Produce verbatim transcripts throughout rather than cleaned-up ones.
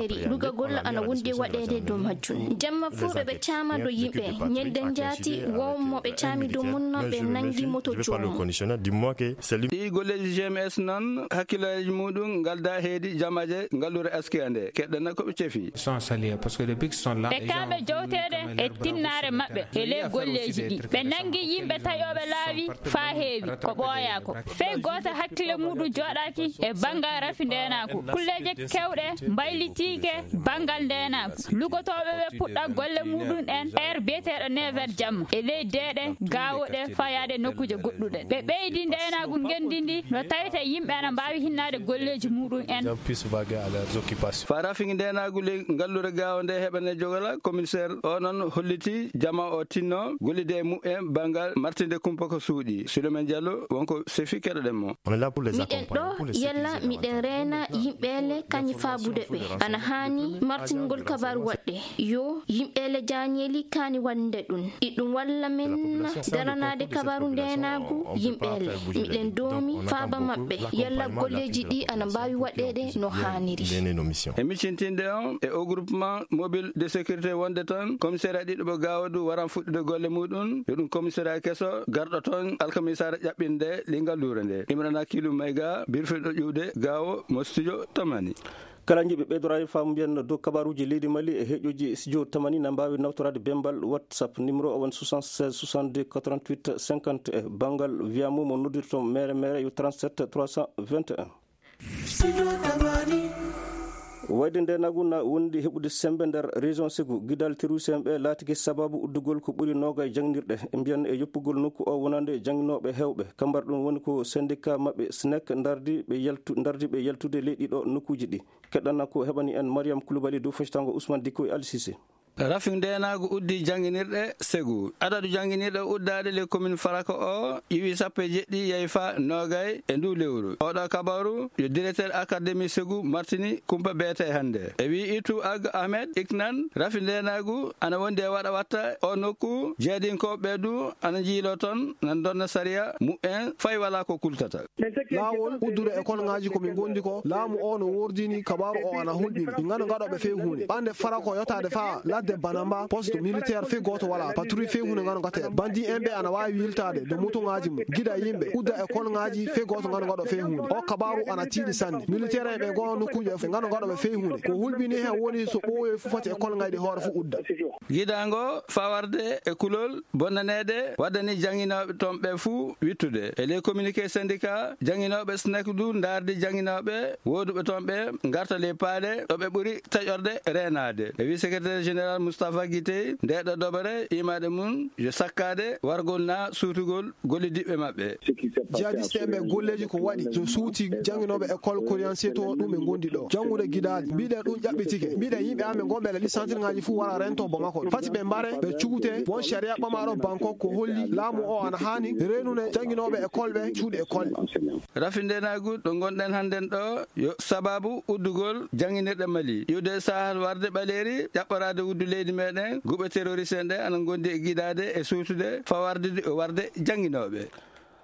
mairie, lugagol ana wondi e waɗeede dow majjum. Jamma fuu ɓe ɓe caama dow yimɓe. Ñande njaati, won mo ɓe caami dow mum noon, ɓe nanngi moto joomum. Ɗii golleeji G M S noon, hakkillooji muɗum ngaldaa heedi jamaaje ngalluure Askia nde. Keɗɗana ko ɓe cefi. Ɓe kaaɓe jowteede e tinnaare maɓɓe e ley golleeji ɗi. Ɓe nanngi yimɓe taƴooɓe laawi faa heewi, ko ɓooyaa ko. Fey gooto hakkille muɗum jooɗaaki e banngal rafi ndeenaagu. Kulleeje keewɗe mbaylitiike banngal ndeenaagu. Lugotooɓe ɓe puɗɗa golle muɗum en heure biyeteeɗo neuf heures jamma e ley deeɗe gaawo ɗe faa yaade nokkuuje goɗɗuɗe. Ɓe ɓeydi ndeenaagu ngenndi ndi no tawete yimɓe ana mbaawi hinnaade golleeji muɗum en. Faa rafi ndeenaagu ley ngalluure gaawo nde heɓane jogala, commissaire o noon holliti jama o tinno gollude e muɓɓen banngal martinde kumpa ko suuɗi. Sulemen Diallo wonko sefi, keɗoɗen mo. Miɗen ɗo yalla miɗen reena yimɓe le kañi faabude ɓe. Ana haani martingol kabaru waɗde. Yo yimɓe le jaañeeli kaani waɗde ɗum. Iɗum walla men daranaade kabaru ndeenaagu yimɓe le. Miɗen doomi faaba maɓɓe. Yalla golleeji ɗi ana mbaawi waɗeede no haaniri. E miccintinde on e o groupement mobile de sécurité wonde toon, commissariat ɗiɗo mo Gaawo du waran fuɗɗude golle muɗum. Yo ɗum commissariat keso garɗo toon alkamisa ƴaɓɓinde lingal luure nde. Imrana Kilu Mayga, birfiɗo ƴuwde Gaawo mo studio Tamani. Kala jiɗɗo ɓeydoraade faamu mbiyen dow kabaruuji leydi Mali e heɗoji studio Tamani na mbaawi nawtoraade bembal WhatsApp numéro o won soixante-seize soixante-deux quatre-vingt-huit cinquante. E banngal wiya mum mo noddirto mere mere yo trente-sept trois cent vingt et un. Wayde ndeenaagu na wondi heɓude semmbe nder région Ségou. Gidal terroriste en ɓe laatike sababu uddugol ko ɓuri noogay jangnirɗe. E mbiyan e yoppugol nokku o wonande jangnooɓe heewɓe. Kambar ɗum woni ko syndicat maɓɓe SNEC ndardi ɓe yaltu-, ndardi ɓe yaltude ley ɗiɗo nokkuuji ɗi. Keɗɗana ko heɓani en Mariam Koulibaly dow fectango Ousmane Dicko e Ali Cissé. Rafi ndeenaagu uddi jannginirɗe Segu. Adadu jannginirɗe uddaaɗe les communes Farako o iwi sappo e jeɗɗi yahi faa noogay e nduu lewru. Oɗo kabaaru yo directeur académie Segu Martini Kumpa beete hannde. E wii Itu Ag Ahmed Iknan, rafi ndeenaagu ana wondi e waɗa watta o nokku, jeedinkooɓe ɓe du ana njiiloo toon, nan ndonna sariya mu'en, fay walaa ko kultata. Laawol uddude e kolŋaaji ko min ngondi ko, laamu o no woordini kabaaru o ana hulɓini. Min ngano ngaɗooɓe fey huunde. Ɓande Farako yotaade faa ladde Banamba, poste militaire fey gooto walaa. Patrouille fey huunde ngano ngateede. Bandi en ɓe ana waawi yiltaade dow motoŋaaji mum, gida yimɓe, udda e kolŋaaji fey gooto ngano ngaɗoo fey huunde. O kabaaru ana tiiɗi sanne. Militaire en ɓe ngoo nokkuuji ɓe fof ngano ngaɗooɓe fey huunde. Ko hulɓini heen woni so ɓooyoy fof foti e kolŋaaji ɗi hoore fof udda. Gidaango faa warde e kulol bonnaneede waddani jannginooɓe toon ɓe fuu wittude. E les communiqués syndicat, jannginooɓe SNEC du ndaardi jannginooɓe wooduɓe toon ɓe ngarta les paale ɗo ɓe ɓuri taƴorde reenaade. E wii secrétaire général Moustapha Guité, ndeeɗo dobere imaade mum yo sakkaade wargol naa suutugol gollidiɓɓe maɓɓe. Jihadiste en ɓe golleeji ko waɗi so suuti jannginooɓe école Coriancé to ɗum ɓe ngondi ɗo. Janngude gidaali. Mbiɗen ɗum ƴaɓɓitike. Mbiɗen yimɓe amen gonɓe e ɗi santirŋaaji fuu wara rento Bamako. Fati ɓe mbare, ɓe cuute. Won sariya ɓamaaɗo Banko ko holli laamu o ana haani reenude jannginooɓe école ɓe cuuɗi école. Rafi ndeenaagu ɗo ngonɗen hannden ɗo yo sababu uddugol jannginirɗe Mali. Iwde Sahel warde ɓaleeri, ƴaɓɓoraade wuddu leydi meɗen, guɓe terroriste en ɗe ana ngondi e gidaade e suutude faa wardude warde jannginooɓe.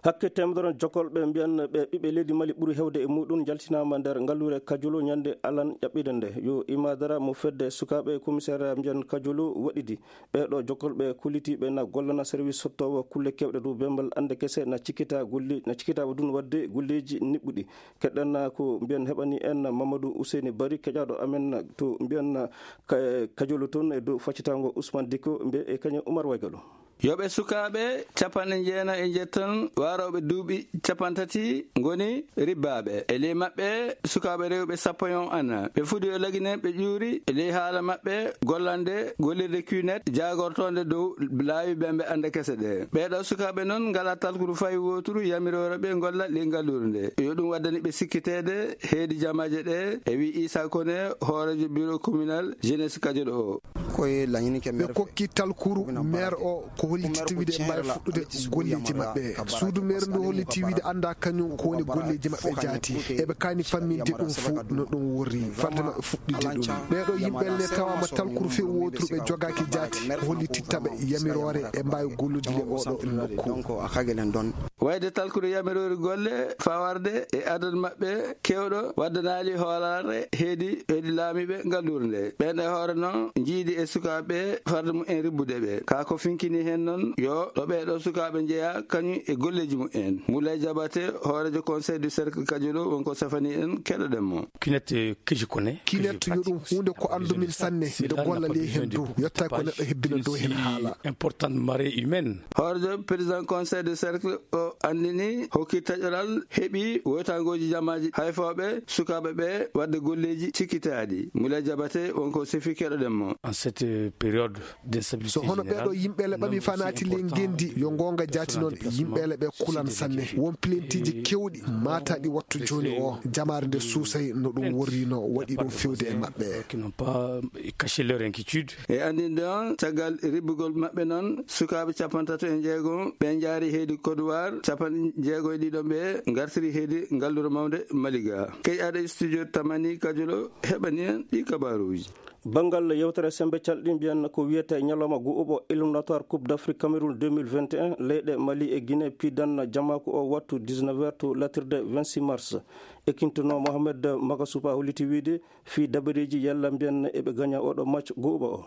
Hakke teemedere jokolɓe mbiyan ɓe ɓiɓɓe leydi Mali ɓuri heewde e muɗum njaltinaama nder ngalluure Kajolo ñande alan ƴaɓɓiɗe nde. Yo imaadara mo fedde sukaaɓe komiseera mbiyan Kajolo waɗidi. Ɓeeɗo jokolɓe kullitiiɓe na gollana service sottoowo kulle keewɗe dow bembal annde kese na cikkita golle, na cikkitaɓe ɗum waɗde golleeji niɓɓuɗi. Keɗɗen ko mbiyan heɓani en Mamadou Ousseyni Bari, keƴaaɗo amen to mbiyan Ka-, Kajolo toon e dow faccitaango Ousmane Dicko mbe e kañum Oumar Waygalo. Yo ɓe sukaaɓe capanɗe jeenayi e njetton warooɓe duuɓi capanɗe tati ngoni ribbaaɓe. E ley maɓɓe sukaaɓe rewɓe sappo e on ana. Ɓe fudi yo laginen ɓe ƴuuri e ley haala maɓɓe gollande gollirde Q net jaagortoonde dow laawi bembe annde kese ɗe. Ɓeeɗo sukaaɓe noon ngalaa talkuru fay wooturu yamiroore ɓe ngolla ley ngalluure nde. Yo ɗum waddani ɓe sikkiteede heedi jamaaje ɗe, e wii Issa Koné, hooreejo bureau communal jeunesse Kajolo o. Ɓe kokki talkuru maire o ko holliti wiide mbaawi fuɗɗude golleeji maɓɓe. Suudu maire ndu holliti wiide annda kañum ko woni golleeji maɓɓe jaati. Eɓe kaani famminde ɗum fuu no ɗum worri, farde maɓɓe fuɗɗude ɗum. Ɓeeɗo yimɓe le tawaama talkuru few wooturu ɓe jogaaki jaati, ko holliti taɓe yamiroore e mbaawi gollude le oɗo nokku. Wayde talkuru yamiroori golle fawarde e adadu maɓɓe kewɗo waddanaali hoolaare heedi, heedi laamiiɓe ngalluure nde. Ɓen e hoore noon njiidi e sukaaɓe farde mum en ribbude ɓe. Kaa ko finkini heen noon yo ɗo ɓeeɗo sukaaɓe njeya kañum e golleeji mum en. Moulay Diabaté, hooreejo conseil du cercle Kajolo, won ko safani en, keɗoɗen mo. Kinet, eh, que je connais, que je Kinet yo ɗum pratique. Huunde ko anndu min sanne, miɗo golla ley heen dow, yetta ko neɗɗo hebbina dow heen haala. Importante marée humaine. Hooreejo président conseil de cercle o anndini hokki taƴoral heɓi woytangooji jamaaji hayfooɓe sukaaɓe ɓe waɗde golleeji cikkitaaɗi. Moulay Diabaté won ko sefi, keɗoɗen mo. En cette, euh, période d'instabilité générale, so hono ɓeeɗo yimɓeele ɓami fanaati ley ngenndi, yo ngoonga jaati noon, yimɓeele ɓe kulan sanne. Won pilentiiji kewɗi maataaɗi wattu jooni o, jamaare nde suusay no ɗum worri, no waɗi ɗum fewde e maɓɓe. Qui n'ont pas caché leur inquiétude. E anndinde on, caggal ribbugol maɓɓe noon, sukaaɓe capanɗe tati e jeegom ɓe njaari heedi Kodowar, capanɗe jeegom e ɗiɗo ɓe ngartiri heedi ngallure mawnde Maliga. Keƴaaɗo studio Tamani Kajolo heɓani en ɗi kabaaruuji. Banngal yewtere semmbe calɗi mbiyan ko wiyetee ñalawma go'uɓo éliminatoire Coupe d'Afrique Cameroun deux mille vingt et un, leyɗe Mali e Guinée piidan jamaaku o wattu dix-neuf heures to latirde vingt-six mars. Ekkintunoo Mohamed Magasupa holliti wiide fii dabareeji yalla mbiyan eɓe gaña oɗo match go'uɓo o.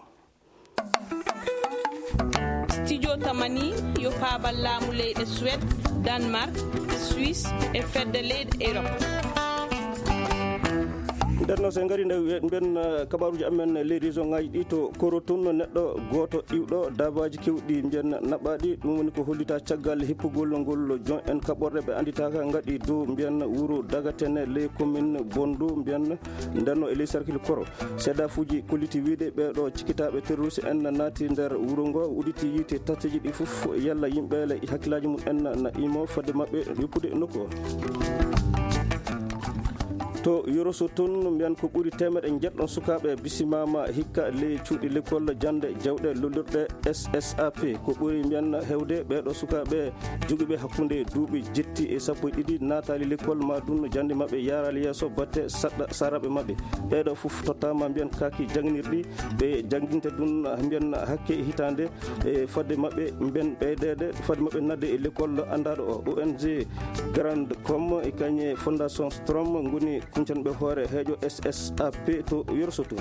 Studio Tamani yo paabal laamu leyɗe Suède, Danemark, Suisse e fedde leyɗe Europe. Nden noon, so en ngarii nde mbiyen, eh, kabaaruuji amen ley région ŋaaji ɗi, to Koro tun, neɗɗo gooto iwɗo daabaaji keewɗi mbiyen naɓaaɗi. Ɗum woni ko hollita caggal hippugol ngol jon en kaɓorɗe ɓe annditaaka ngaɗi dow mbiyen wuro Dagatene ley commune Bondu mbiyen ndenno e ley cercle Koro. Seedaafuuji kolliti wiide ɓeeɗo cikkitaaɓe terroriste en naati nder wuro ngo, udditi yiite tatteeji ɗi fof, yalla yimɓe le hakkillaaji mum en na imo fodde maɓɓe yoppude nokku o. To Yoroso tun, mbiyan ko ɓuri teemeɗe njeɗɗon sukaaɓe bisimaama hikka ley cuuɗi lekkol jannde jawɗe lollirɗe S S A P. Ko ɓuri mbiyan hewde ɓeeɗo sukaaɓe jogiiɓe hakkunde duuɓi jetti e sappo e ɗiɗi naataali lekkol ma dun jannde maɓɓe yaaraali yeeso batte saɗɗa saaraaɓe maɓɓe. Ɓeeɗo fof tottaama mbiyan kaaki jannginirɗi ɓe jannginte dun mbiyan hakke hitaande e fadde maɓɓe mbiyan ɓeydeede fadde maɓɓe nadde e lekkol anndaaɗo o. O N G Grand Com e kañe Fondation Strom ngoni kuncanɓe hoore heejo S S A P to Yoroso tun.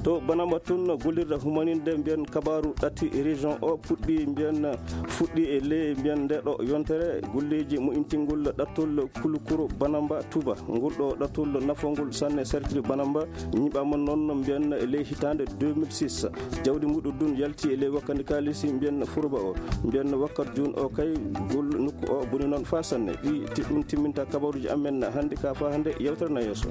To Banamba tun, gollirde humaninde mbiyan kabaaru ɗatti région o puɗɗi mbiyan fuɗɗi e ley mbiyan nde ɗo yontere golleeji mo intingol ɗattol kulukuro Banamba Touba. Ngol ɗo ɗattol nafongol sanne cercle Banamba ñiɓaama noon mbiyan e ley hitaande deux mille six. Jawdi muɗum dun yalti e ley wakkati kaalisi mbiyan Furuba o. Mbiyan wakkat jun o kay gol nokku o boni noon faa sanne. Ɗi ti-, ɗum timminta kabaruuji amen hannde ka faa hannde yewtere na yeeso.